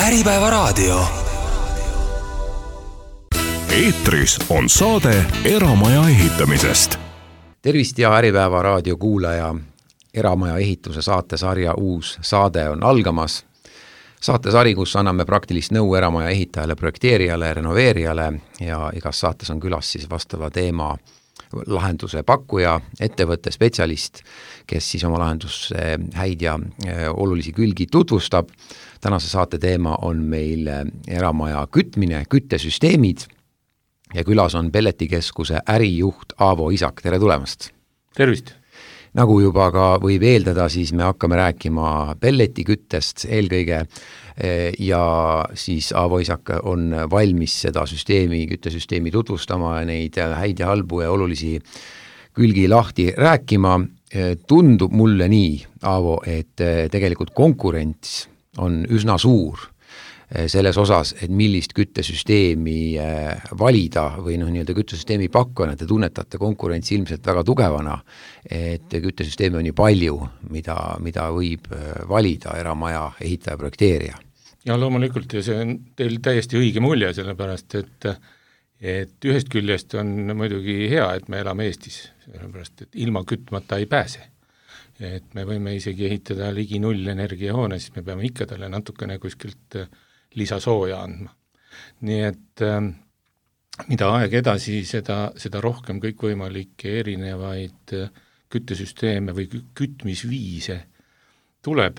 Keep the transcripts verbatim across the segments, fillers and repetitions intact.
Äripäevaraadio. Eetris on saade Eramaja ehitamisest. Tervist ja Äripäevaraadio kuulaja. Eramaja ehituse saatesarja uus saade on algamas. Saatesari, kus anname praktilist nõu eramaja ehitajale, projekteerijale, renoveerijale ja igas saates on külas siis vastava teema lahenduse pakkuja, ettevõtte spetsialist, kes siis oma lahenduse häid ja olulisi külgi tutvustab. Tänase saate teema on meil eramaja kütmine, küttesüsteemid ja külas on Pelletikeskuse ärijuht Aavo Isak. Tere tulemast! Tervist! Nagu juba ka võib eeldada, siis me hakkame rääkima pelletiküttest eelkõige ja siis Aavo Isak on valmis seda süsteemi, küttesüsteemi tutvustama ja neid häid ja halbu ja olulisi külgi lahti rääkima. Tundub mulle nii, Aavo, et tegelikult konkurents on üsna suur selles osas, et millist küttesüsteemi valida või noh, nii-öelda küttesüsteemi pakkujana. Te tunnetate konkurentsi ilmselt väga tugevana, et küttesüsteemi on nii palju, mida, mida võib valida eramaja ehitaja, projekteerija. Ja loomulikult ja see on teil täiesti õige mulje, sellepärast, et, et ühest küljest on muidugi hea, et me elame Eestis, sellepärast, et ilma kütmata ei pääse. Et me võime isegi ehitada ligi null energiahoone, siis me peame ikka talle natukene kuskilt lisasooja andma. Nii et äh, mida aeg edasi, seda, seda rohkem kõikvõimalikke erinevaid küttesüsteeme või kütmisviise tuleb.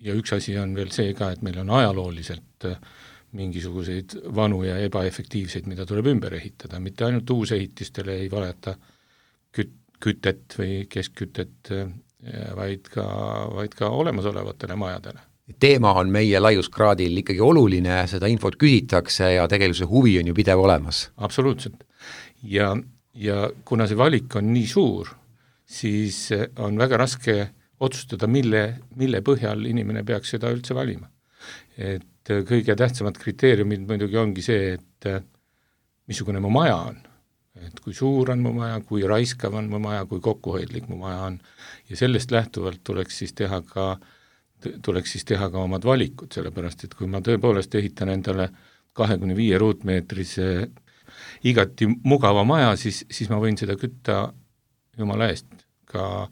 Ja üks asi on veel see ka, et meil on ajalooliselt mingisuguseid vanu ja ebaefektiivseid, mida tuleb ümber ehitada. Mitte ainult uusehitistele ei valeta küt, kütet või keskkütet, vaid ka, vaid ka olemasolevatele majadele. Teema on meie laiuskraadil ikkagi oluline, seda infot küsitakse ja tegelikult see huvi on ju pidev olemas. Absoluutselt. Ja, ja kuna see valik on nii suur, siis on väga raske otsustada, mille, mille põhjal inimene peaks seda üldse valima. Et kõige tähtsamad kriteeriumid muidugi ongi see, et missugune mu maja on. Et kui suur on mu maja, kui raiskav on mu maja, kui kokkuhoidlik mu maja on. Ja sellest lähtuvalt tuleks siis teha ka tuleks siis teha ka omad valikud, sellepärast, et kui ma tõepoolest ehitan endale kahekümne viie ruutmeetrise igati mugava maja, siis, siis ma võin seda kütta jumala eest ka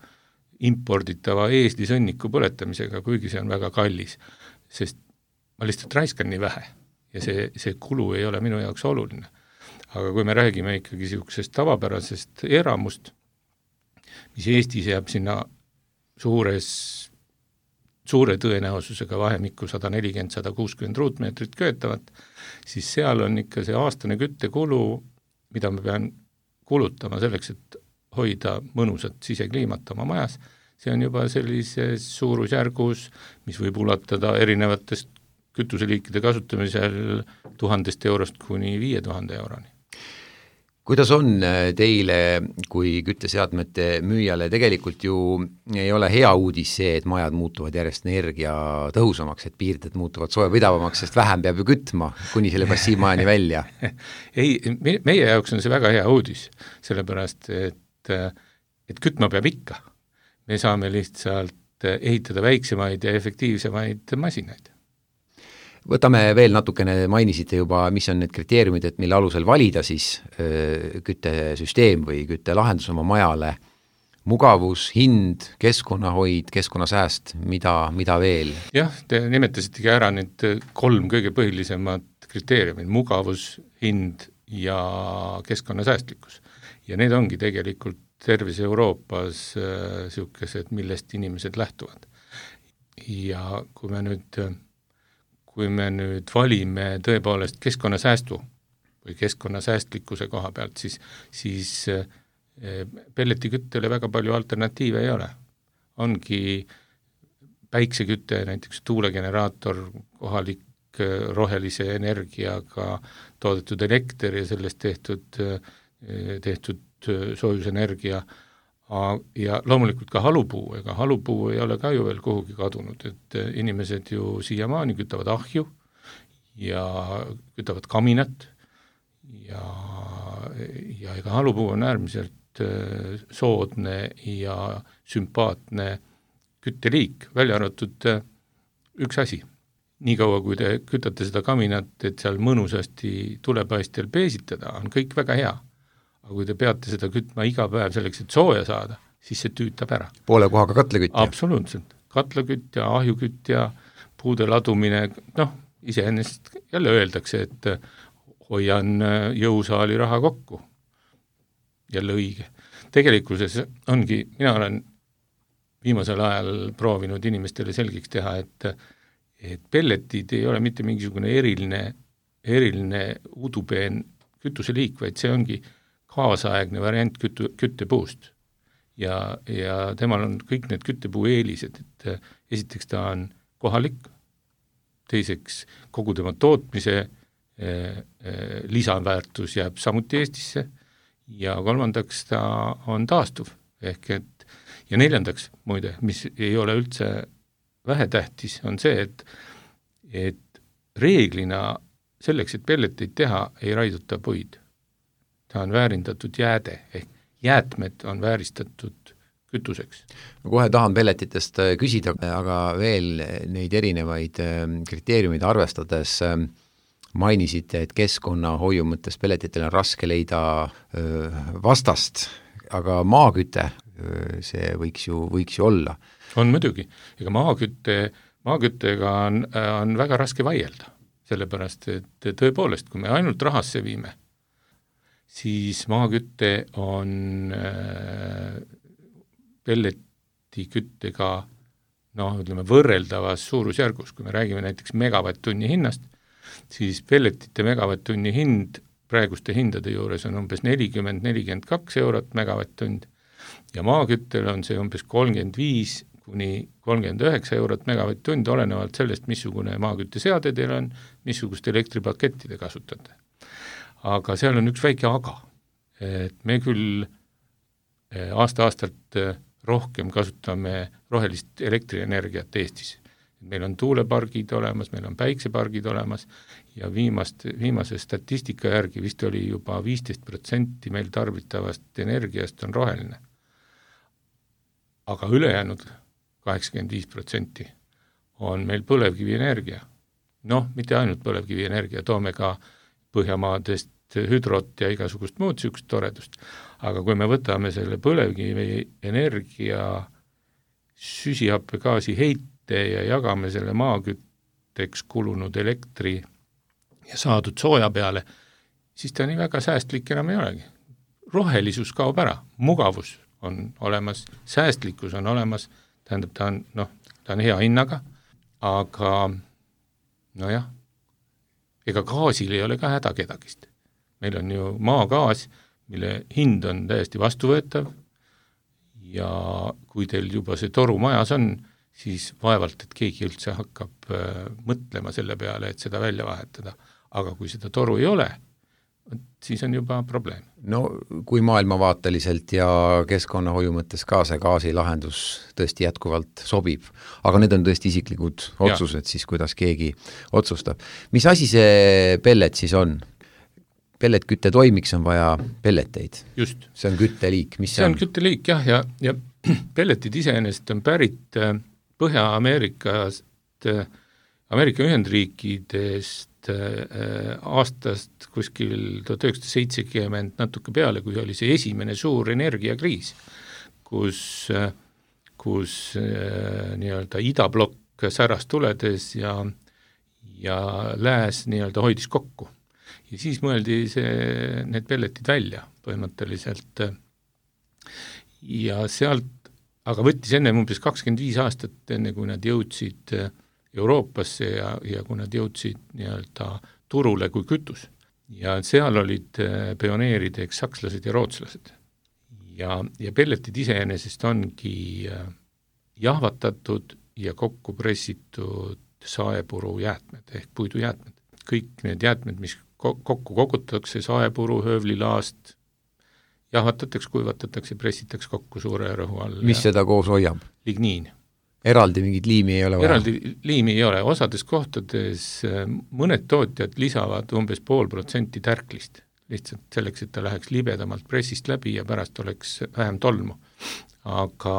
imporditava eeslisõnniku põletamisega, kuigi see on väga kallis, sest ma lihtsalt raiskan nii vähe ja see, see kulu ei ole minu jaoks oluline. Aga kui me räägime ikkagi siuksest tavapärasest eramust, mis Eestis jääb sinna suures suure tõenäosusega vahemikku sada nelikümmend kuni sada kuuskümmend ruutmeetrit köetavat, siis seal on ikka see aastane küttekulu, mida ma pean kulutama selleks, et hoida mõnusat sisekliimat oma majas. See on juba sellises suurusjärgus, mis võib ulatada erinevatest kütuseliikide kasutamisel tuhandest eurost kuni viie tuhande euroni. Kuidas on teile kui kütteseadmete müüjale? Tegelikult ju ei ole hea uudis see, et majad muutuvad järjest energia tõhusamaks, et piirded muutuvad soojapidavamaks, sest vähem peab ju kütma kuni selle passiivmajani välja. Ei, meie jaoks on see väga hea uudis, sellepärast, et, et kütma peab ikka. Me saame lihtsalt ehitada väiksemaid ja efektiivsemaid masinaid. Võtame veel natukene, mainisite juba, mis on need kriteeriumid, et mille alusel valida siis öö, küttesüsteem või küttelahendus oma majale. Mugavus, hind, keskkonnahoid, keskkonnasääst, mida, mida veel? Jah, te nimetasitegi ära need kolm kõige põhilisemad kriteeriumid, mugavus, hind ja keskkonnasäästlikkus. Ja need ongi tegelikult terves Euroopas äh, siukesed, millest inimesed lähtuvad. Ja kui me nüüd kui me nüüd valime tõepoolest keskkonnasäästu või keskkonnasäästlikkuse koha pealt, siis, siis pelletiküttele väga palju alternatiive ei ole. Ongi päiksekütte, näiteks tuulegeneraator, kohalik rohelise energiaga toodetud elekter ja sellest tehtud, tehtud soojusenergia, ja loomulikult ka halupuu, ega halupuu ei ole ka ju veel kuhugi kadunud, et inimesed ju siiamaani kütavad ahju ja kütavad kaminat ja, ja ega halupuu on äärmiselt soodne ja sümpaatne kütteliik, välja arvatud üks asi, niikaua, kui te kütate seda kaminat, et seal mõnusasti tulepaistjal peesitada, on kõik väga hea. Aga kui te peate seda kütma iga päev selleks, et sooja saada, siis see tüütab ära. Poole kohaga katlakütja? Absoluutselt. Katlakütja, ahjukütja, puude ladumine, noh, iseenesest jälle öeldakse, et hoian jõusaali raha kokku. Jälle õige. Tegelikkuses ongi, mina olen viimasel ajal proovinud inimestele selgeks teha, et, et pelletid ei ole mitte mingisugune eriline, eriline udupeen kütuseliik, vaid see ongi kaasaegne variant kütu, küttepuust. Ja, ja temal on kõik need küttepuu eelised, et esiteks ta on kohalik, teiseks kogu tema tootmise eh, eh, lisaväärtus jääb samuti Eestisse ja kolmandaks ta on taastuv, ehk et ja neljandaks, muide, mis ei ole üldse vähetähtis, on see, et, et reeglina selleks, et pelleteid teha, ei raiduta puid. Ta on väärindatud jääde, ehk jäätmed on vääristatud kütuseks. Kohe tahan pelletitest küsida, aga veel neid erinevaid kriteeriumid arvestades mainisite, et keskkonnahoiu mõttes pelletitele on raske leida vastast, aga maaküte, see võiks ju, võiks ju olla. On muidugi, ega maakütte, maaküttega on, on väga raske vaielda, sellepärast et tõepoolest, kui me ainult rahasse viime, siis maakütte on äh, pelletiküttega noh, ütleme võrreldavas suurusjärgus, kui me räägime näiteks megavatt-tunni hinnast, siis pelletite megavatt-tunni hind praeguste hindade juures on umbes nelikümmend kuni nelikümmend kaks eurot megavatt-tund ja maaküttel on see umbes kolmkümmend viis kuni kolmkümmend üheksa eurot megavatt-tund, olenevalt sellest, missugune maakütteseade teil on, missugust elektripaketti te kasutate. Aga seal on üks väike aga, et me küll aasta-aastalt rohkem kasutame rohelist elektrienergiat Eestis. Meil on tuulepargid olemas, meil on päiksepargid olemas ja viimast, viimase statistika järgi vist oli juba viisteist protsenti meil tarbitavast energiast on roheline. Aga ülejäänud kaheksakümmend viis protsenti on meil põlevkivienergia. Noh, mitte ainult põlevkivienergia, toome ka Põhjamaadest hüdrot ja igasugust muud sükst toredust, aga kui me võtame selle põlevkivi energia süsihappegaasi heite ja jagame selle maakütteks kulunud elektri ja saadud sooja peale, siis ta nii väga säästlik enam ei olegi. Rohelisus kaob ära, mugavus on olemas, säästlikkus on olemas, tähendab, ta on, noh, ta on hea hinnaga, aga nojah, ega gaasil ei ole ka häda kedagist. Meil on ju maagaas, mille hind on täiesti vastuvõetav ja kui teil juba see toru majas on, siis vaevalt, et keegi üldse hakkab äh, mõtlema selle peale, et seda välja vahetada. Aga kui seda toru ei ole, siis on juba probleem. No kui maailmavaateliselt ja keskkonnahoiu mõttes ka see gaasilahendus tõesti jätkuvalt sobib, aga need on tõesti isiklikud otsused, ja. Siis kuidas keegi otsustab. Mis asi see pellet siis on? Pelletkütte toimiks on vaja pelleteid. Just. See on kütteliik. Mis see, see on? on kütteliik, jah, ja, ja pelletid iseenesest on pärit Põhja-Ameerikast, Ameerika Ühendriikidest aastast kuskil tuhat üheksasada seitsekümmend natuke peale, kui oli see esimene suur energiakriis, kus, kus nii-öelda idablokk säras tuledes ja, ja lääs nii-öelda hoidis kokku. Ja siis mõeldi see, need pelletid välja põhimõtteliselt ja sealt, aga võttis enne umbes kakskümmend viis aastat, enne kui nad jõudsid Euroopasse ja, ja kui nad jõudsid nii-öelda turule kui kütus. Ja seal olid pioneerideks sakslased ja rootslased. Ja, ja pelletid iseenesest ongi jahvatatud ja kokku pressitud saepuru jäätmed ehk puidujäätmed. Kõik need jäätmed, mis kokku kogutakse, saepuru, höövlilaast, jahvatatakse, kuivatatakse, pressitakse kokku suure rõhu all. Mis seda koos hoiab? Ligniin. Eraldi mingit liimi ei ole vaja? Eraldi liimi ei ole. Osades kohtades mõned tootjad lisavad umbes pool protsenti tärklist, lihtsalt selleks, et ta läheks libedamalt pressist läbi ja pärast oleks vähem tolmu. Aga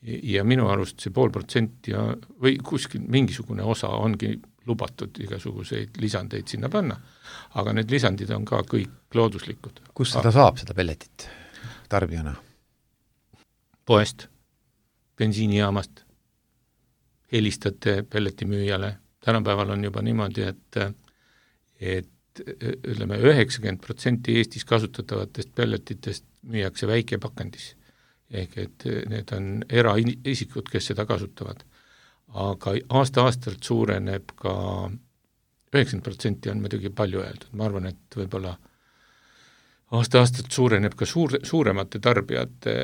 ja minu arust see pool protsenti või kuskil mingisugune osa ongi lubatud igasuguseid lisandeid sinna panna, aga need lisandid on ka kõik looduslikud. Kus seda saab, seda pelletit tarbijana? Poest, bensiinijaamast, helistate pelletimüüjale. Tänapäeval on juba niimoodi, et, et ütleme, üheksakümmend protsenti Eestis kasutatavatest pelletitest müüakse väikepakendis. Ehk et need on eraisikud, kes seda kasutavad. Aga aasta-aastalt suureneb ka üheksakümmend protsenti on muidugi palju öeldud. Ma arvan, et võib-olla aasta-aastalt suureneb ka suur, suuremate tarbijate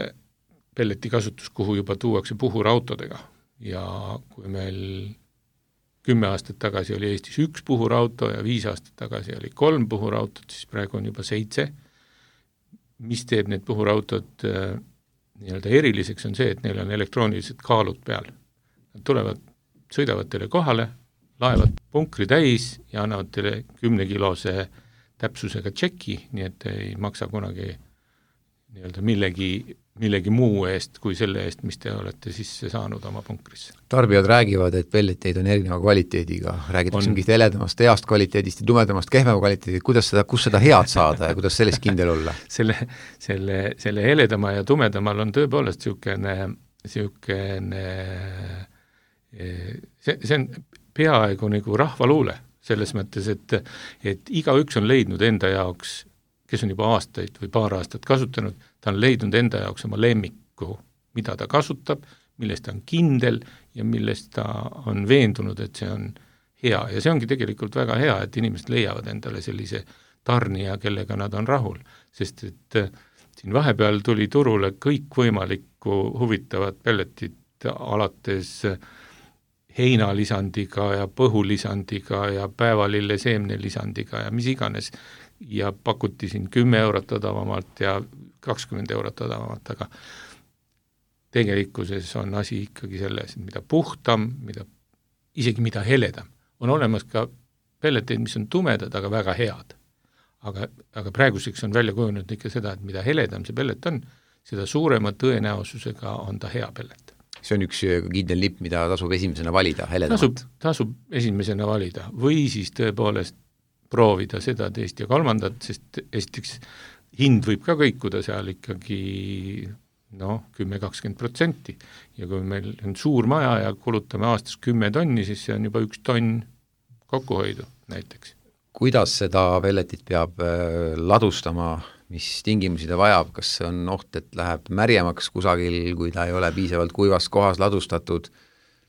pelleti kasutus, kuhu juba tuuakse puhurautodega. Ja kui meil kümme aastat tagasi oli Eestis üks puhurauto ja viis aastat tagasi oli kolm puhurautot, siis praegu on juba seitse. Mis teeb need puhurautod nii-öelda eriliseks on see, et neil on elektroonilised kaalud peal. Nad tulevad, sõidavad teile kohale, laevad punkri täis ja annavad teile kümnekilose täpsusega tšeki, nii et ei maksa kunagi nii-öelda millegi, millegi muu eest kui selle eest, mis te olete sisse saanud oma punkrisse. Tarbijad räägivad, et pelleteid on erineva kvaliteediga, räägitakse mingist heledamast heast kvaliteedist ja tumedamast kehvema kvaliteedist, kuidas seda, kus seda head saada ja kuidas sellest kindel olla? selle, selle, selle heledama ja tumedamal on tõepoolest siukene, siukene see, see on peaaegu nagu rahvaluule selles mõttes, et, et igaüks on leidnud enda jaoks, kes on juba aastaid või paar aastat kasutanud, ta on leidnud enda jaoks oma lemmiku, mida ta kasutab, millest ta on kindel ja millest ta on veendunud, et see on hea. Ja see ongi tegelikult väga hea, et inimesed leiavad endale sellise tarnija, kellega nad on rahul. Sest et siin vahepeal tuli turule kõik võimalikku huvitavat pelletit alates heinalisandiga ja põhulisandiga ja päevalille seemnelisandiga ja mis iganes. Ja pakuti siin kümme eurot odavamalt ja kakskümmend eurot odavamalt, aga tegelikkuses on asi ikkagi selles, et mida puhtam, mida, isegi mida heledam. On olemas ka pelleteid, mis on tumedad, aga väga head. Aga, aga praeguseks on välja kujunenud ikka seda, et mida heledam see pellet on, seda suurema tõenäosusega on ta hea pellet. See on üks kindel lipp, mida tasub esimesena valida, heledamat. Tasub, tasub esimesena valida või siis tõepoolest proovida seda teist ja kolmandat, sest esiteks hind võib ka kõikuda seal ikkagi no, kümme kakskümmend protsenti ja kui meil on suur maja ja kulutame aastas kümme tonni, siis see on juba üks tonn kokkuhoidu näiteks. Kuidas seda pelletit peab ladustama, mis tingimusi ta vajab, kas see on oht, et läheb märjemaks kusagil, kui ta ei ole piisavalt kuivas kohas ladustatud?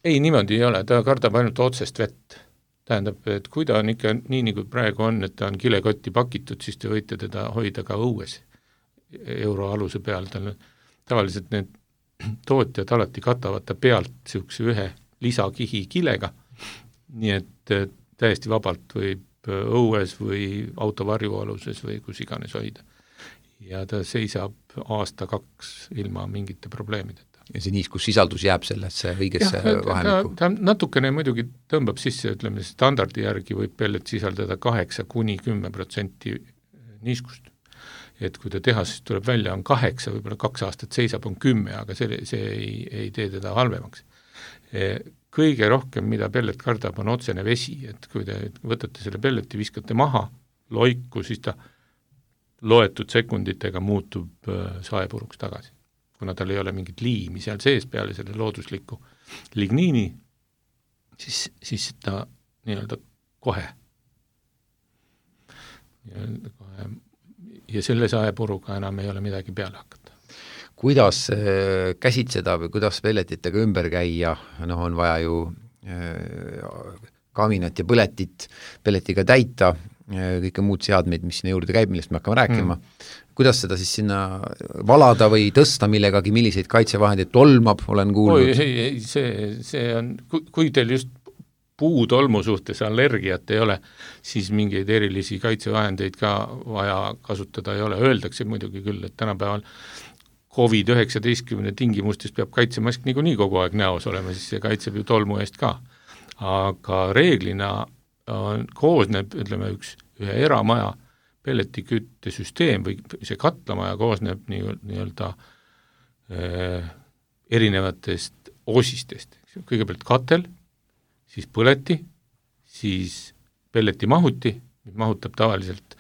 Ei, niimoodi ei ole, ta kardab ainult otsest vett. Tähendab, et kui ta on ikka nii, nagu praegu on, et ta on kilekotti pakitud, siis te võite teda hoida ka õues euroaluse peal. Tavaliselt need tootjad alati katavad ta pealt siukse ühe lisakihi kilega, nii et täiesti vabalt võib õues või autovarjualuses või kus iganes hoida. Ja ta seisab aasta kaks ilma mingite probleemideta. Ja see niiskussisaldus jääb sellesse õigesse vahemikku? Ta, ta natukene muidugi tõmbab sisse, ütleme, standardi järgi võib pellet sisaldada kaheksa kuni kümme protsenti niiskust. Et kui ta tehasest tuleb välja, on kaheksa, võib-olla kaks aastat seisab, on kümme, aga see, see ei, ei tee teda halvemaks. Kõige rohkem, mida pellet kardab, on otsene vesi, et kui te võtate selle pelleti, viskate maha, loiku, siis ta loetud sekunditega muutub saepuruks tagasi. Kuna tal ei ole mingit liimi seal sees peale selle loodusliku ligniini, siis, siis ta nii-öelda kohe. kohe. Ja selle saepuruga enam ei ole midagi peale hakata. Kuidas äh, käsitseda või kuidas pelletitega ümber käia, noh, on vaja ju äh, kaminat ja põletit pelletiga täita, äh, kõike muud seadmeid, mis sinna juurde käib, millest me hakkame rääkima. Mm. Kuidas seda siis sinna valada või tõsta millegagi, milliseid kaitsevahendeid tolmab, olen kuulnud? Oi, ei, ei, see, see on, kui, kui teil just puutolmu suhtes allergiat ei ole, siis mingeid erilisi kaitsevahendeid ka vaja kasutada ei ole. Öeldakse muidugi küll, et tänapäeval covid üheksateist tingimustes peab kaitsemask niikuinii kogu aeg näos olema, siis see kaitseb ju tolmu eest ka. Aga reeglina on, koosneb, ütleme, üks ühe eramaja pelletikütte süsteem või see katlamaja koosneb nii-öelda nii erinevatest osistest. Kõigepealt katel, siis põleti, siis pelleti mahuti, mis mahutab tavaliselt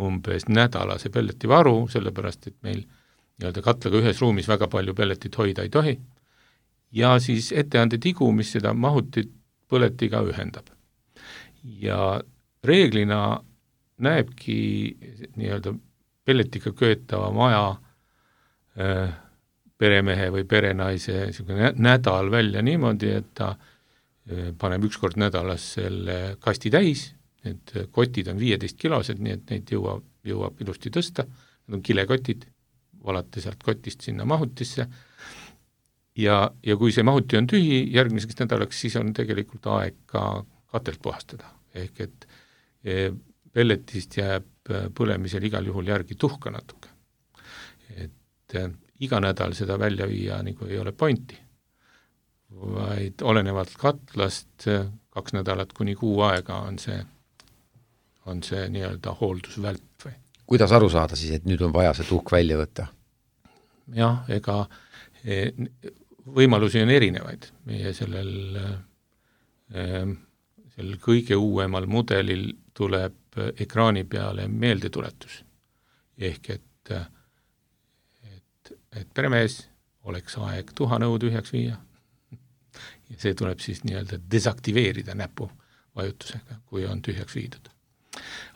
umbes nädalase pelleti varu, sellepärast et meil nii-öelda katlaga ühes ruumis väga palju pelletit hoida ei tohi, ja siis etteande tigu, mis seda mahutit põletiga ühendab. Ja reeglina näebki nii-öelda pelletiga köetava maja äh, peremehe või perenaise nädal välja niimoodi, et ta äh, paneb üks kord nädalas selle kasti täis, need kotid on viieteist kilosed, nii et neid jõuab, jõuab ilusti tõsta, need on kilekotid, valate sealt kotist sinna mahutisse, ja, ja kui see mahuti on tühi järgmiseks nädalaks, siis on tegelikult aeg ka katelt puhastada, ehk et e, pelletist jääb põlemisel igal juhul järgi tuhka natuke. Et e, iga nädal seda välja viia nagu ei ole pointi, vaid olenevalt katlast kaks nädalat kuni kuu aega on see on see nii-öelda hooldusvälp või. Kuidas aru saada siis, et nüüd on vaja see tuhk välja võtta? Jah, ega võimalusi on erinevaid. Meie sellel, sellel kõige uuemal mudelil tuleb ekraani peale meeldetuletus. Ehk et, et, et peremees oleks aeg tuhanõu tühjaks viia. Ja see tuleb siis nii-öelda desaktiveerida näpu vajutusega, kui on tühjaks viidud.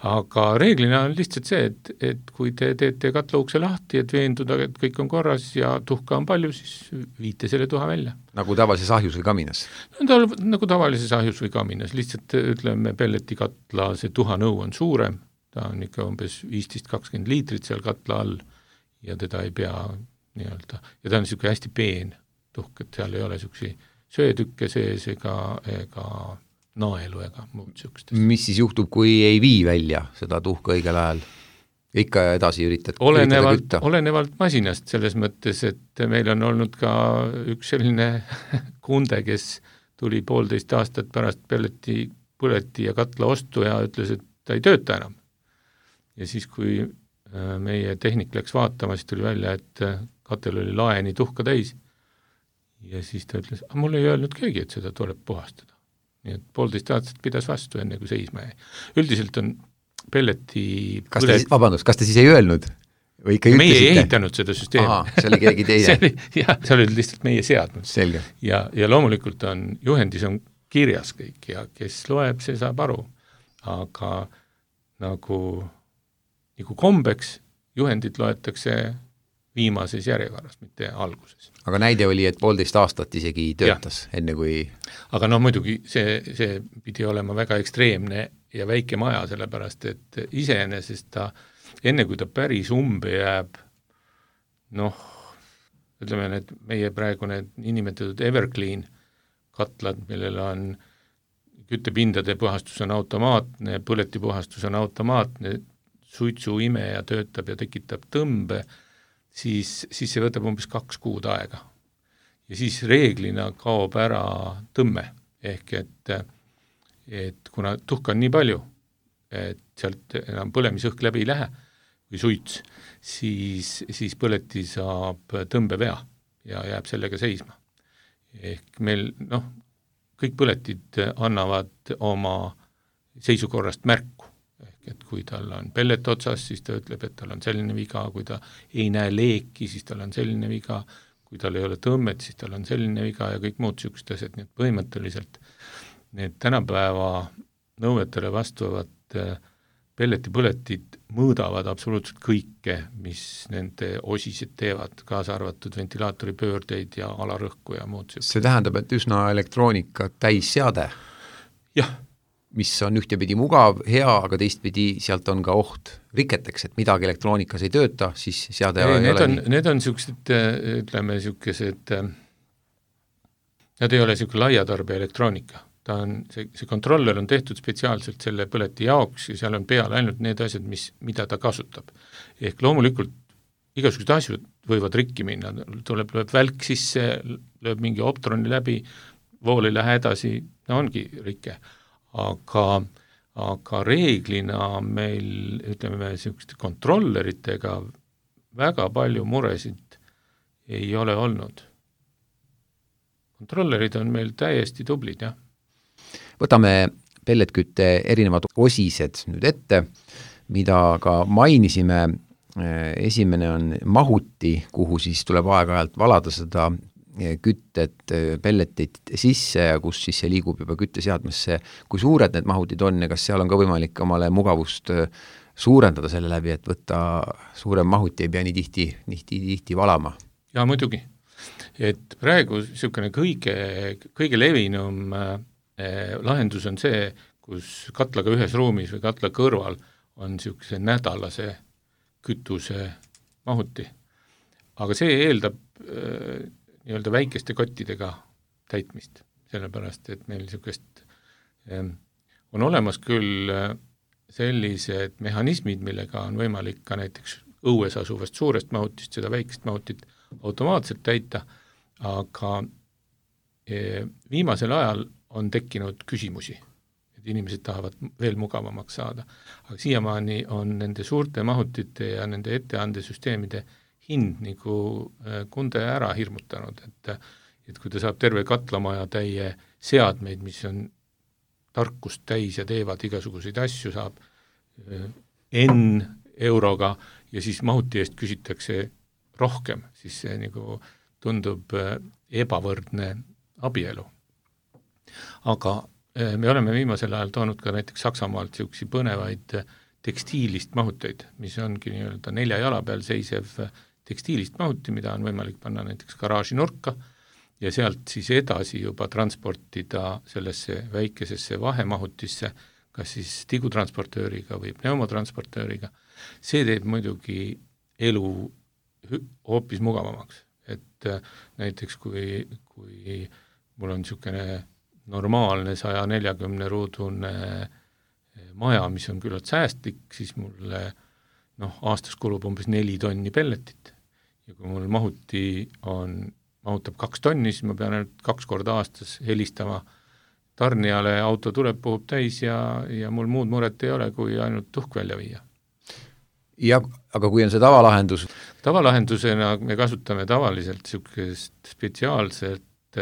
Aga reeglina on lihtsalt see, et, et kui te teete katlaukse lahti, et veenduda, et kõik on korras ja tuhka on palju, siis viite selle tuha välja. Nagu tavalises ahjus või kaminas? No, ta, nagu tavalises ahjus või kaminas, lihtsalt ütleme, pelletikatla see tuhanõu on suurem, ta on ikka umbes viisteist kakskümmend liitrit seal katla all ja teda ei pea nii-öelda, ja ta on niisugune hästi peen tuhk, et seal ei ole niisugusi söötükke sees ega, ega naelu ega muud niisugust. Mis siis juhtub, kui ei vii välja seda tuhka õigel ajal? Ikka edasi üritad, olenevalt, üritada kütta? Olenevalt masinast selles mõttes, et meil on olnud ka üks selline kunde, kes tuli poolteist aastat pärast pelleti, põleti ja katla ostu ja ütles, et ta ei tööta enam. Ja siis, kui meie tehnik läks vaatama, siis tuli välja, et katel oli laeni tuhka täis. Ja siis ta ütles, aga mul ei öelnud keegi, et seda tuleb puhastada. Nii et poolteist aastat pidas vastu enne, kui seisma jäi. Üldiselt on pelleti kas te, põlet... vabandust, kas te siis ei öelnud? Või ikka meie ütlesite? ei ehitanud seda süsteemi. Aha, see oli keegi teine. see oli, jah, see oli lihtsalt meie seadnud. Selge. Ja, ja loomulikult on, juhendis on kirjas kõik ja kes loeb, see saab aru. Aga nagu, nagu kombeks juhendid loetakse viimases järjekorras, mitte alguses. Aga näide oli, et poolteist aastat isegi töötas, ja. Enne kui... Aga no muidugi see, see pidi olema väga ekstreemne ja väike maja, sellepärast et iseenesest ta, enne kui ta päris umbe jääb, noh, ütleme, need meie praegu need nimetatud Everclean katlad, millel on küttepindade puhastus on automaatne, põletipuhastus on automaatne, suitsu imeja töötab ja tekitab tõmbe, siis, siis see võtab umbes kaks kuud aega. Ja siis reeglina kaob ära tõmme, ehk et, et kuna tuhka on nii palju, et sealt enam põlemisõhk läbi ei lähe või suits, siis, siis põleti saab tõmbevea ja jääb sellega seisma. Ehk meil, noh, kõik põletid annavad oma seisukorrast märku. Ehk et kui tal on pellet otsas, siis ta ütleb, et tal on selline viga, kui ta ei näe leeki, siis tal on selline viga, kui tal ei ole tõmmet, siis tal on selline viga ja kõik muud niisugused asjad, nii et põhimõtteliselt need tänapäeva nõuetele vastuvad pelletipõletid mõõdavad absoluutselt kõike, mis nende osised teevad, kaasa arvatud ventilaatori pöördeid ja alarõhku ja muud niisugused. See tähendab, et üsna elektroonika täisseade? Jah. Mis on ühtepidi mugav, hea, aga teistpidi sealt on ka oht riketeks, et midagi elektroonikas ei tööta, siis seade ei, ei ole on, nii. Need on niisugused, ütleme, niisugused, nad ei ole niisugune laiatarbija elektroonika. Ta on, see, see kontroller on tehtud spetsiaalselt selle põleti jaoks ja seal on peal ainult need asjad, mis, mida ta kasutab. Ehk loomulikult igasugused asjad võivad rikki minna, tuleb, lööb välk sisse, lööb mingi optroni läbi, vool ei lähe edasi, no ongi rikke. Aga, aga reeglina meil, ütleme, niisuguste kontrolleritega väga palju muresid ei ole olnud. kontrollerid on meil täiesti tublid, jah. Võtame pelletkütte erinevad osised nüüd ette, mida ka mainisime. Esimene on mahuti, kuhu siis tuleb aeg-ajalt valada seda küttet, pelletit sisse ja kus siis see liigub juba kütteseadmesse. Kui suured need mahutid on ja kas seal on ka võimalik omale mugavust suurendada selle läbi, et võtta suurem mahuti ei pea nii tihti, tihti, tihti valama? Ja muidugi, et praegu niisugune kõige, kõige levinum eh, lahendus on see, kus katlaga ühes ruumis või katla kõrval on niisuguse nädalase kütuse mahuti. Aga see eeldab äh, nii-öelda väikeste kottidega täitmist, sellepärast, et meil niisugust äh, on olemas küll äh, sellised mehhanismid, millega on võimalik ka näiteks õues asuvast suurest mahutist seda väikest mahutit automaatselt täita, aga äh, viimasel ajal on tekkinud küsimusi. Inimesed tahavad veel mugavamaks saada. Aga siiamaani on nende suurte mahutite ja nende etteandesüsteemide hind nagu kunde ära hirmutanud, et, et kui ta saab terve katlamaja täie seadmeid, mis on tarkust täis ja teevad igasuguseid asju, saab N euroga ja siis mahuti eest küsitakse rohkem, siis see nagu tundub ebavõrdne abielu. Aga me oleme viimasel ajal toonud ka näiteks Saksamaalt niisuguseid põnevaid tekstiilist mahuteid, mis ongi nii-öelda nelja jala peal seisev tekstiilist mahuti, mida on võimalik panna näiteks garaaži nurka ja sealt siis edasi juba transportida sellesse väikesesse vahemahutisse, kas siis tigutransportööriga või pneumotransportööriga. See teeb muidugi elu hoopis mugavamaks, et näiteks kui, kui mul on niisugune normaalne saja neljakümne ruudune maja, mis on küllalt säästlik, siis mulle noh, aastas kulub umbes neli tonni pelletit. Ja kui mul mahuti on, mahutab kaks tonni, siis ma pean ainult kaks korda aastas helistama tarnijale, auto tuleb, puhub täis ja, ja mul muud muret ei ole, kui ainult tuhk välja viia. Ja, aga kui on see tavalahendus? Tavalahendusena me kasutame tavaliselt niisugust spetsiaalselt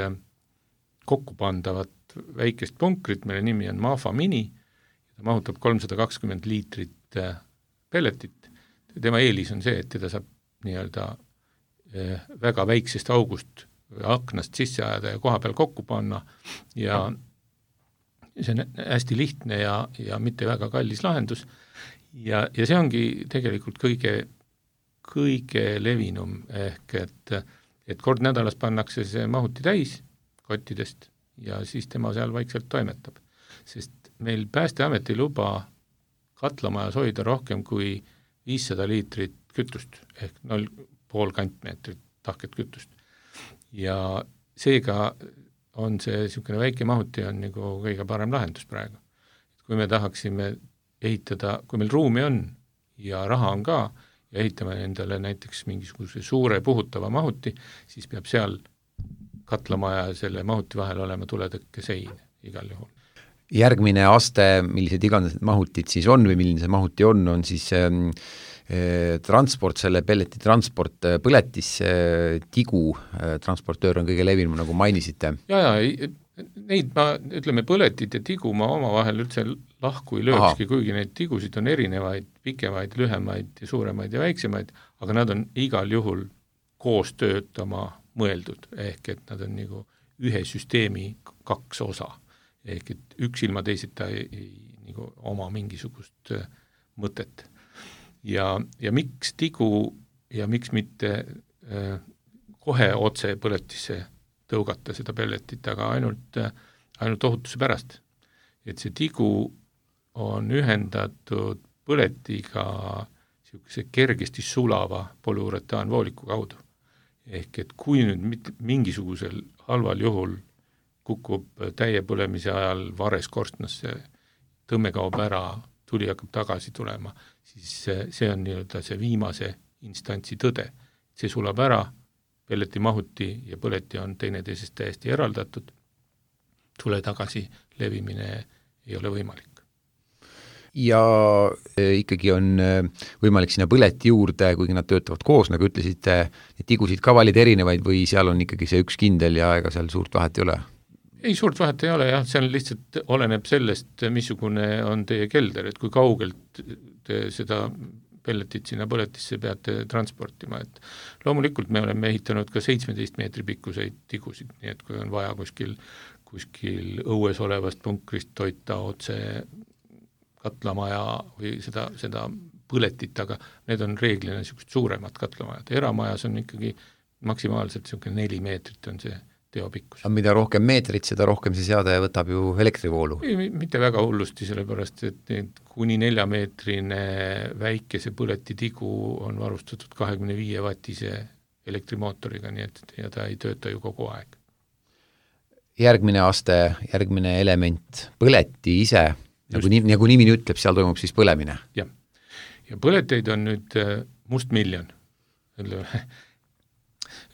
kokku pandavat väikest punkrit, mille nimi on Mafa Mini, ta mahutab kolmsada kakskümmend liitrit pelletit. Tema eelis on see, et teda saab nii-öelda väga väiksest august aknast sisse ajada ja koha peal kokku panna ja see on hästi lihtne ja, ja mitte väga kallis lahendus ja, ja see ongi tegelikult kõige, kõige levinum ehk et, et kord nädalas pannakse see mahuti täis kottidest ja siis tema seal vaikselt toimetab. Sest meil Päästeamet ei luba katlamajas hoida rohkem kui viissada liitrit kütust ehk null pool kantmeetrit tahket kütust. Ja seega on see niisugune väike mahuti on nagu kõige parem lahendus praegu. Kui me tahaksime ehitada, kui meil ruumi on ja raha on ka ja ehitame endale näiteks mingisuguse suure puhutava mahuti, siis peab seal katlamaja ja selle mahuti vahel olema tuletõkke sein igal juhul. Järgmine aste, millised iganes mahutid siis on või milline see mahuti on, on siis äh, transport, selle pelleti transport põletisse, tigu äh, transportöör on kõige levinum, nagu mainisite. Ja, ja, neid ma, ütleme, põletid ja tigu ma oma vahel üldse lahku ei löökski, kuigi neid tigusid on erinevaid, pikemaid, lühemaid ja suuremaid ja väiksemaid, aga nad on igal juhul koos töötama mõeldud, ehk et nad on nagu ühe süsteemi kaks osa, ehk et üks ilma teisita ei, ei nagu oma mingisugust mõtet. Ja, ja miks tigu ja miks mitte äh, kohe otse põletisse tõugata seda pelletit, aga ainult, ainult ohutuse pärast. Et see tigu on ühendatud põletiga niisuguse kergesti sulava polüuretaanvooliku kaudu. Ehk et kui nüüd mingisugusel halval juhul kukub täie põlemise ajal vares korstnasse, tõmme kaob ära, tuli hakkab tagasi tulema, siis see on nii-öelda see viimase instantsi tõde. See sulab ära, pelleti mahuti ja põleti on teineteisest täiesti eraldatud, tule tagasi levimine ei ole võimalik. ja ikkagi on võimalik sinna põleti juurde, kuigi nad töötavad koos, nagu ütlesite, et tigusid ka valida erinevaid või seal on ikkagi see üks kindel ja ega seal suurt vahet ei ole? Ei, suurt vahet ei ole jah, seal lihtsalt oleneb sellest, missugune on teie kelder, et kui kaugelt te seda pelletit sinna põletisse peate transportima, et loomulikult me oleme ehitanud ka seitsmeteist meetri pikkuseid tigusid, nii et kui on vaja kuskil, kuskil õues olevast punkrist toita otse katlamaja või seda, seda põletit, aga need on reeglina niisugused suuremad katlamajad. Eramajas on ikkagi maksimaalselt niisugune neli meetrit on see teopikkus. Aga mida rohkem meetrit, seda rohkem see seade võtab ju elektrivoolu? Ei, mitte väga hullusti, sellepärast, et need kuni neljameetrine väikese põletitigu on varustatud kahekümne viie vatise elektrimootoriga, nii et ja ta ei tööta ju kogu aeg. Järgmine aste, järgmine element, põleti ise, nagu, nii, nagu nimi ütleb, seal toimub siis põlemine. Jah, ja põleteid on nüüd must miljon. Ütleme,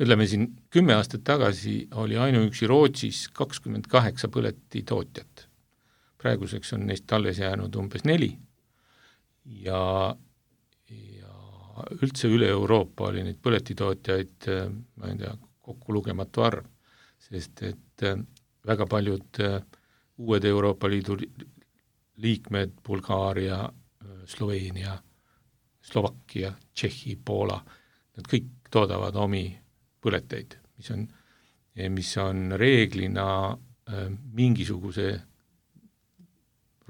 ütleme siin kümme aastat tagasi oli ainuüksi Rootsis kakskümmend kaheksa põleti tootjat. Praeguseks on neist alles jäänud umbes neli ja, ja üldse üle Euroopa oli neid põletitootjaid, ma ei tea, kokku lugematu arv, sest et väga paljud uued Euroopa Liidu liikmed, Bulgaaria, Sloveenia, Slovakkia, Tšehhi, Poola, nad kõik toodavad omi põleteid, mis on, mis on reeglina mingisuguse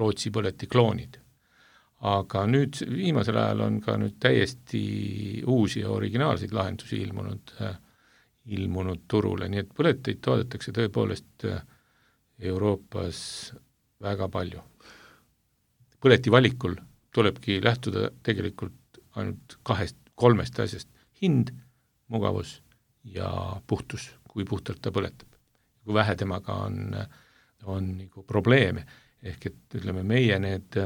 Rootsi põleti kloonid. Aga nüüd viimasel ajal on ka nüüd täiesti uusi ja originaalseid lahendusi ilmunud, ilmunud turule, nii et põleteid toodetakse tõepoolest Euroopas väga palju. Põleti valikul tulebki lähtuda tegelikult ainult kahest, kolmest asjast. Hind, mugavus ja puhtus, kui puhtalt ta põletab. Kui vähe temaga on, on nagu probleeme, ehk et ütleme meie need,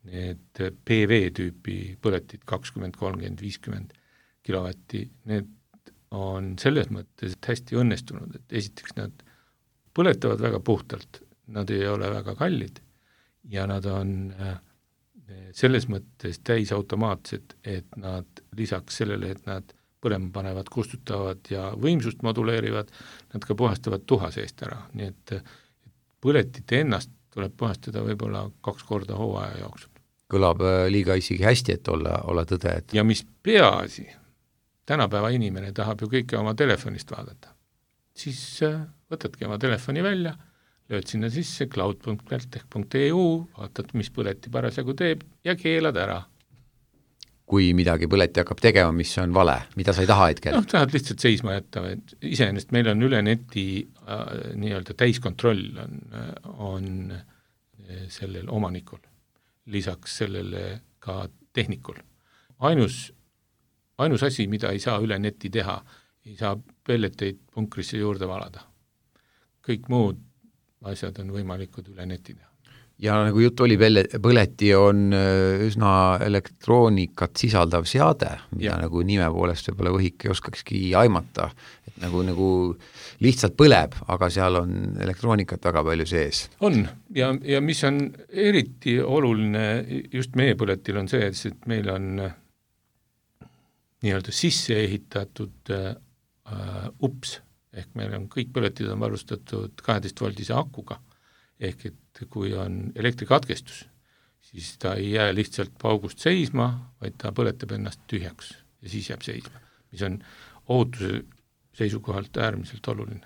need P V-tüüpi põletid kakskümmend, kolmkümmend, viiskümmend kilovatti, need on selles mõttes hästi õnnestunud, et esiteks nad põletavad väga puhtalt, nad ei ole väga kallid ja nad on selles mõttes täisautomaatsed, et nad lisaks sellele, et nad põlema panevad, kustutavad ja võimsust moduleerivad, nad ka puhastavad tuha seest ära, nii et põletit ennast tuleb puhastada võib-olla kaks korda hooaja jooksul. Kõlab liiga isegi hästi, et olla, olla tõde. Et... ja mis peaasi, tänapäeva inimene tahab ju kõike oma telefonist vaadata. Siis võtadki oma telefoni välja, lööd sinna sisse cloud punkt peltech punkt e u, vaatad, mis põleti parasjagu teeb ja keelad ära. Kui midagi põleti hakkab tegema, mis on vale, mida sa ei taha hetkel? noh, tahad lihtsalt seisma jätta, et iseenesest meil on üle neti äh, nii-öelda täiskontroll on, on sellel omanikul, lisaks sellele ka tehnikul. Ainus, ainus asi, mida ei saa üle neti teha, ei saa pelleteid punkrisse juurde valada. Kõik muud asjad on võimalikud üle neti teha. Ja nagu jutt oli, põleti on üsna elektroonikat sisaldav seade, mida ja. Nagu nime poolest võib-olla võhik ei oskakski aimata, et nagu, nagu lihtsalt põleb, aga seal on elektroonikat väga palju sees. On, ja, ja mis on eriti oluline just meie põletil on see, et meil on nii-öelda sisse ehitatud äh, ups, ehk meil on kõik põletid on varustatud kaheteist voldise akuga, ehk et kui on elektrikatkestus, siis ta ei jää lihtsalt paugust seisma, vaid ta põletab ennast tühjaks ja siis jääb seisma, mis on ohutuse seisukohalt äärmiselt oluline.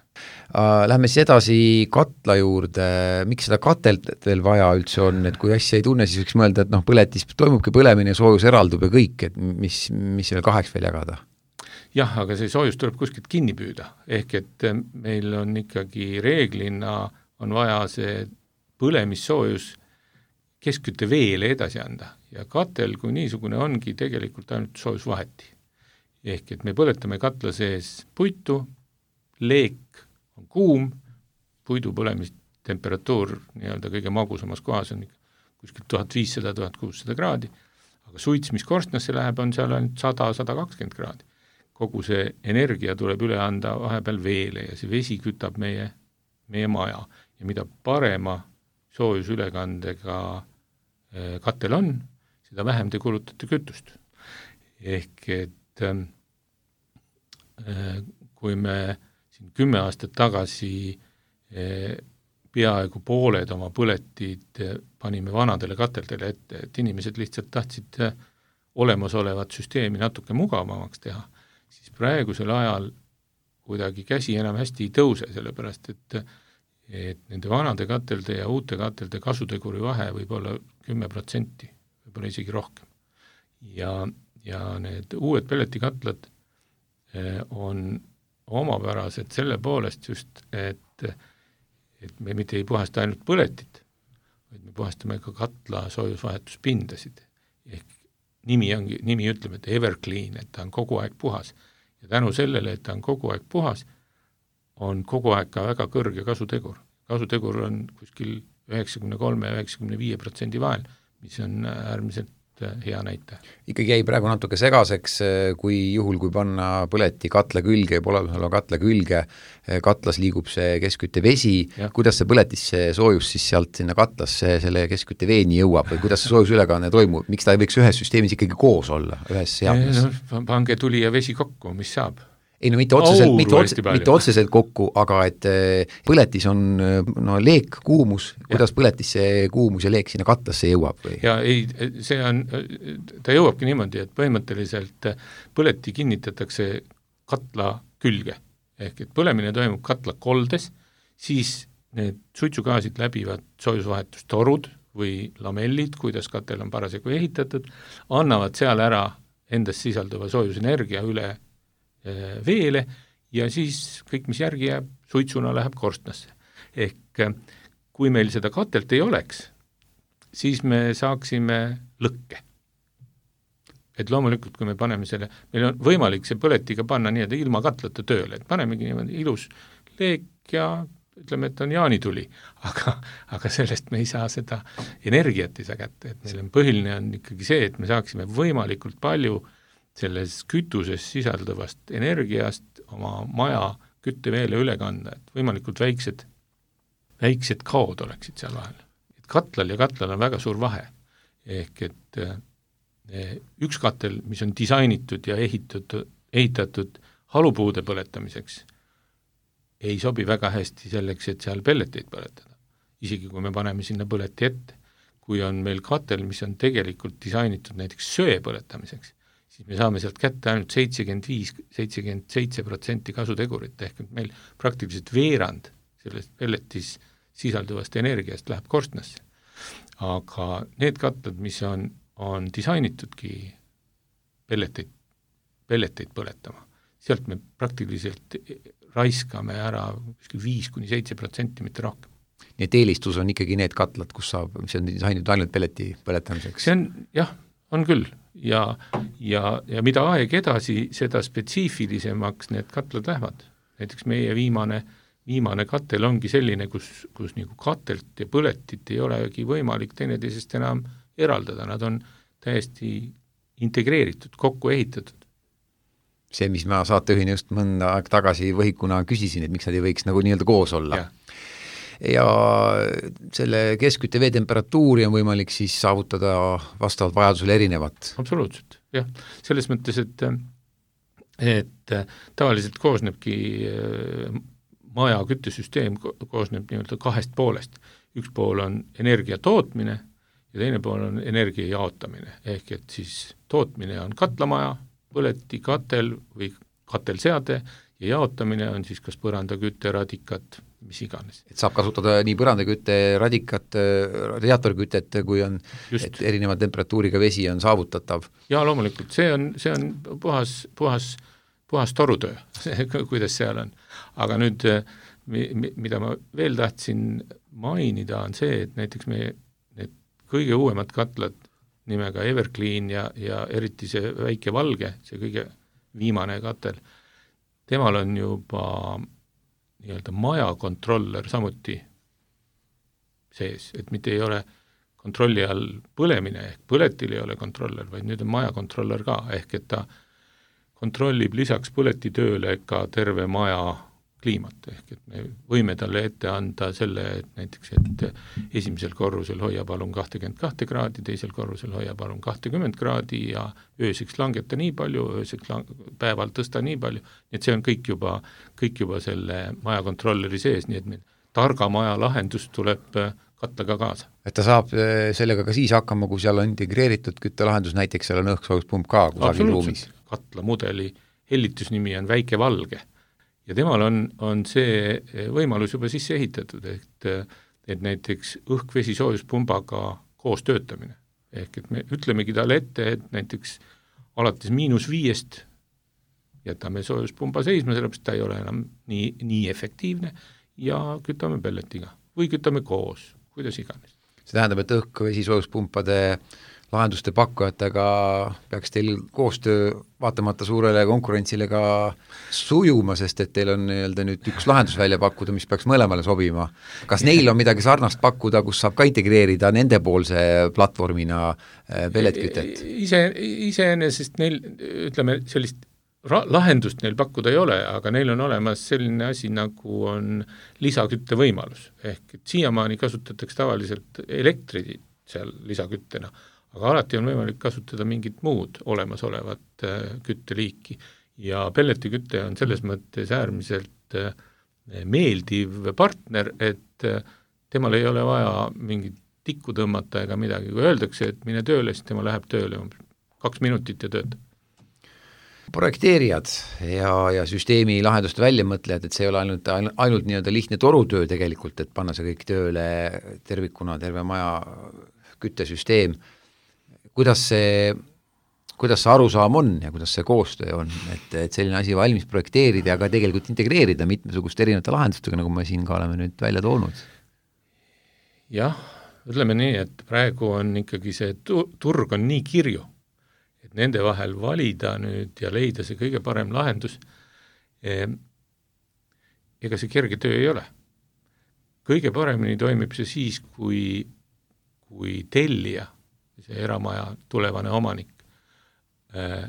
Lähme siis edasi katla juurde, miks seda katelt veel vaja üldse on, et kui asja ei tunne, siis võiks mõelda, et noh, põletis toimubki põlemine, soojus eraldub ja kõik, et mis, mis veel kaheks veel jagada? Jah, aga see soojus tuleb kuskilt kinni püüda, ehk et meil on ikkagi reeglina on vaja see põlemissoojus keskkütte veele edasi anda ja katel kui niisugune ongi tegelikult ainult soojusvaheti. Ehk et me põletame katla sees puitu, leek on kuum, puidu põlemistemperatuur nii-öelda kõige magusamas kohas on kuskilt tuhat viissada kuni tuhat kuussada kraadi, aga suits, mis korstnasse läheb, on seal ainult sada kuni sada kakskümmend kraadi. Kogu see energia tuleb üle anda vahepeal veele ja see vesi kütab meie, meie maja ja mida parema soojusülekandega katel on, seda vähem te kulutate kütust. Ehk et äh, kui me siin kümme aastat tagasi äh, peaaegu pooled oma põletid panime vanadele kateldele ette, et inimesed lihtsalt tahtsid olemasolevat süsteemi natuke mugavamaks teha, siis praegusel ajal kuidagi käsi enam hästi ei tõuse, sellepärast et, et nende vanade katelde ja uute katelde kasuteguri vahe võib olla kümme protsenti, võib-olla isegi rohkem. Ja, ja need uued pelletikatlad on omapärased selle poolest just, et et me mitte ei puhasta ainult põletit, vaid me puhastame ka katla soojusvahetuspindasid. Ehk nimi, ongi, nimi ütleb, et Everclean, et ta on kogu aeg puhas. Ja tänu sellele, et ta on kogu aeg puhas, on kogu aeg ka väga kõrge kasutegur. Kasutegur on kuskil üheksakümmend kolm ja üheksakümmend viis protsenti vahel, mis on äärmiselt hea näite. Ikkagi jäi praegu natuke segaseks, kui juhul, kui panna põleti katla külge, poolelõhla katla külge, katlas liigub see keskkütte vesi, ja. Kuidas see põletisse soojus siis sealt sinna katlasse selle keskkütte veeni jõuab või kuidas see soojusülekanne toimub, miks ta ei võiks ühes süsteemis ikkagi koos olla, ühes seadmes? No, pange tuli ja vesi kokku, mis saab? Ei no mitte otseselt, mitte, otse, mitte otseselt kokku, aga et põletis on no, leek, kuumus, kuidas ja. Põletis see kuumus ja leek sinna katlasse jõuab? Või? Ja ei, see on, ta jõuabki niimoodi, et põhimõtteliselt põleti kinnitatakse katla külge. Ehk et põlemine toimub katla koldes, siis need suitsugaasid läbivad soojusvahetustorud või lamellid, kuidas katel on parasjagu ehitatud, annavad seal ära endas sisalduva soojusenergia üle veele ja siis kõik, mis järgi jääb, suitsuna läheb korstnasse. Ehk kui meil seda katelt ei oleks, siis me saaksime lõkke. Et loomulikult, kui me paneme selle, meil on võimalik see põletiga panna nii, et ilma katlata tööle, et panemegi niimoodi ilus leek ja ütleme, et on jaanituli, aga, aga sellest me ei saa seda energiat ei saa kätte, et meil on põhiline on ikkagi see, et me saaksime võimalikult palju selles kütuses sisalduvast energiast oma maja kütteveele üle kanda, et võimalikult väiksed, väiksed kaod oleksid seal vahel. Et katlal ja katlal on väga suur vahe. Ehk et üks katel, mis on disainitud ja ehitatud, ehitatud halupuude põletamiseks, ei sobi väga hästi selleks, et seal pelleteid põletada. Isegi kui me paneme sinna põleti ette. Kui on meil katel, mis on tegelikult disainitud näiteks söe põletamiseks, siis me saame sealt kätte ainult seitsekümmend viis seitsekümmend seitse protsenti kasutegurit, ehk et meil praktiliselt veerand sellest pelletis sisalduvast energiast läheb korstnasse. Aga need katlad, mis on, on disainitudki pelleteid, pelleteid põletama, sealt me praktiliselt raiskame ära viis kuni seitse protsenti, mitte rohkem. Nii et eelistus on ikkagi need katlad, kus saab, mis on disainitud ainult pelleti põletamiseks? See on, jah, on küll. Ja, ja, ja mida aeg edasi, seda spetsiifilisemaks need katlad lähevad. Näiteks meie viimane, viimane katel ongi selline, kus, kus nagu katelt ja põletit ei olegi võimalik teineteisest enam eraldada. Nad on täiesti integreeritud, kokku ehitatud. See, mis ma saateühine just mõnda aeg tagasi võhikuna küsisin, et miks nad ei võiks nagu nii-öelda koos olla. Ja. ja selle keskkütte vee temperatuuri on võimalik siis saavutada vastavalt vajadusele erinevat. Absoluutselt, jah. Selles mõttes, et, et tavaliselt koosnebki maja küttesüsteem koosneb nii-öelda kahest poolest. Üks pool on energia tootmine ja teine pool on energia jaotamine. Ehk et siis tootmine on katlamaja, põleti, katel või katelseade ja jaotamine on siis kas põrandakütte, radikat, mis iganes. Et saab kasutada nii põrandakütte, radikat, radiaatorkütet, kui on, Just. et erineva temperatuuriga vesi on saavutatav. Ja loomulikult, see on, see on puhas, puhas, puhas torutöö, kuidas seal on. Aga nüüd, mida ma veel tahtsin mainida, on see, et näiteks me need kõige uuemad katlad nimega Everclean ja, ja eriti see väike valge, see kõige viimane katel, temal on juba nii-öelda maja kontroller samuti sees, et mitte ei ole kontrolli all põlemine, ehk põletil ei ole kontroller, vaid nüüd on maja kontroller ka, ehk et ta kontrollib lisaks põletitööle ka terve maja kliimat, ehk et me võime talle ette anda selle, et näiteks, et esimesel korrusel hoia palun kakskümmend kaks kraadi, teisel korrusel hoia palun kakskümmend kraadi ja ööseks langeta nii palju, ööseks lang- päeval tõsta nii palju, nii et see on kõik juba, kõik juba selle maja kontrolleri sees, nii et meil targa maja lahendus tuleb katlaga kaasa. Et ta saab sellega ka siis hakkama, kui seal on integreeritud küttelahendus, näiteks seal on õhksoojuspump ka kusagil ruumis. Katla mudeli hellitusnimi on Väike Valge ja temal on, on see võimalus juba sisse ehitatud, et, et näiteks õhk-vesi soojuspumbaga koos töötamine. Ehk et me ütlemegi talle ette, et näiteks alates miinus viiest jätame soojuspumba seisma, sellepärast ta ei ole enam nii, nii efektiivne ja kütame pelletiga või kütame koos, kuidas iganes. See tähendab, et õhk-vesi soojuspumpade lahenduste pakkujatega peaks teil koostöö vaatamata suurele konkurentsile ka sujuma, sest et teil on nii-öelda nüüd üks lahendus välja pakkuda, mis peaks mõlemale sobima. Kas neil on midagi sarnast pakkuda, kus saab ka integreerida nendepoolse platvormina pelletkütet? Ise, iseenesest neil, ütleme, sellist ra- lahendust neil pakkuda ei ole, aga neil on olemas selline asi, nagu on lisakütte võimalus. Ehk et siiamaani kasutatakse tavaliselt elektrit seal lisaküttena, aga alati on võimalik kasutada mingit muud olemasolevat äh, kütteliiki ja pelletikütte on selles mõttes äärmiselt äh, meeldiv partner, et äh, temal ei ole vaja mingit tikku tõmmata ega midagi, kui öeldakse, et mine tööle, siis tema läheb tööle kaks minutit ja töötab. Projekteerijad ja, ja süsteemi lahenduste väljamõtlejad, et see ei ole ainult, ainult nii-öelda lihtne torutöö tegelikult, et panna see kõik tööle tervikuna, terve maja küttesüsteem. Kuidas see, kuidas see arusaam on ja kuidas see koostöö on, et, et selline asi valmis projekteerida ja ka tegelikult integreerida mitmesuguste erinevate lahendustega, nagu me siin ka oleme nüüd välja toonud? Jah, ütleme nii, et praegu on ikkagi see tu- turg on nii kirju, et nende vahel valida nüüd ja leida see kõige parem lahendus, ega see kerge töö ei ole. Kõige paremini toimib see siis, kui, kui tellija, see eramaja tulevane omanik äh,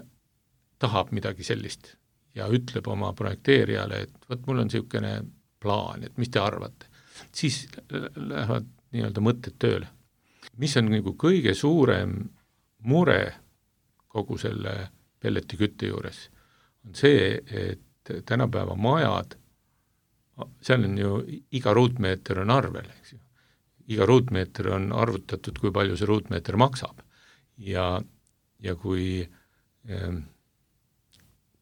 tahab midagi sellist ja ütleb oma projekteerijale, et võt, mul on niisugune plaan, et mis te arvate. Siis lähevad nii-öelda mõtted tööle. Mis on nagu kõige suurem mure kogu selle pelletikütte juures, on see, et tänapäeva majad, seal on ju iga ruutmeeter on arvel, eks ju. Iga ruutmeeter on arvutatud, kui palju see ruutmeeter maksab. Ja, ja kui,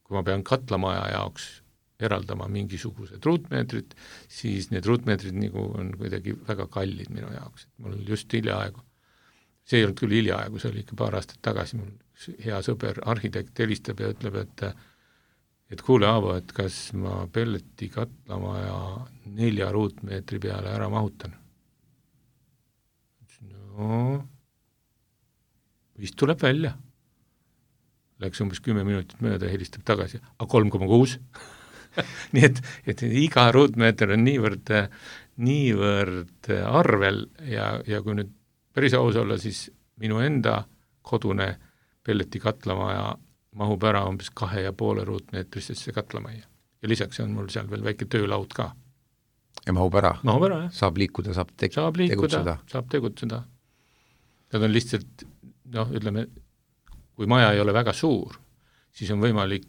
kui ma pean katlamaja jaoks eraldama mingisugused ruutmeetrid, siis need ruutmeetrid nagu on kuidagi väga kallid minu jaoks. Mul just hiljaaegu, see ei olnud küll hiljaaegu, see oli ikka paar aastat tagasi, mul hea sõber, arhitekt helistab ja ütleb, et et kuule, Aavo, et kas ma pelleti katlamaja nelja ruutmeetri peale ära mahutan? No, vist tuleb välja. Läks umbes kümme minutit mööda ja helistab tagasi, aga kolm koma kuus. Nii et, et iga ruutmeeter on niivõrd, niivõrd arvel ja, ja kui nüüd päris aus olla, siis minu enda kodune pelleti katlamaja mahub ära umbes kahe ja poole ruutmeetrisesse katlamaja. Ja lisaks on mul seal veel väike töölaud ka. Ja mahub ära? Mahub ära, jah. Saab liikuda, saab, te- saab liikuda, tegutseda? Saab tegutseda. Nad on lihtsalt, noh, ütleme, kui maja ei ole väga suur, siis on võimalik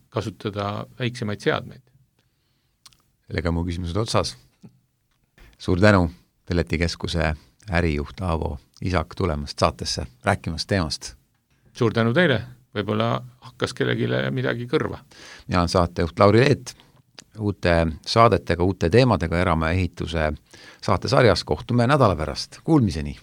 kasutada väiksemaid seadmeid. Sellega mu küsimused otsas. Suur tänu Pelletikeskuse ärijuht Aavo Isak tulemast saatesse, rääkimast teemast. Suur tänu teile, võib-olla hakkas kellegile midagi kõrva. Mina olen saatejuht Lauri Leet, uute saadetega, uute teemadega Eramaja ehituse saatesarjas kohtume nädala pärast. Kuulmiseni!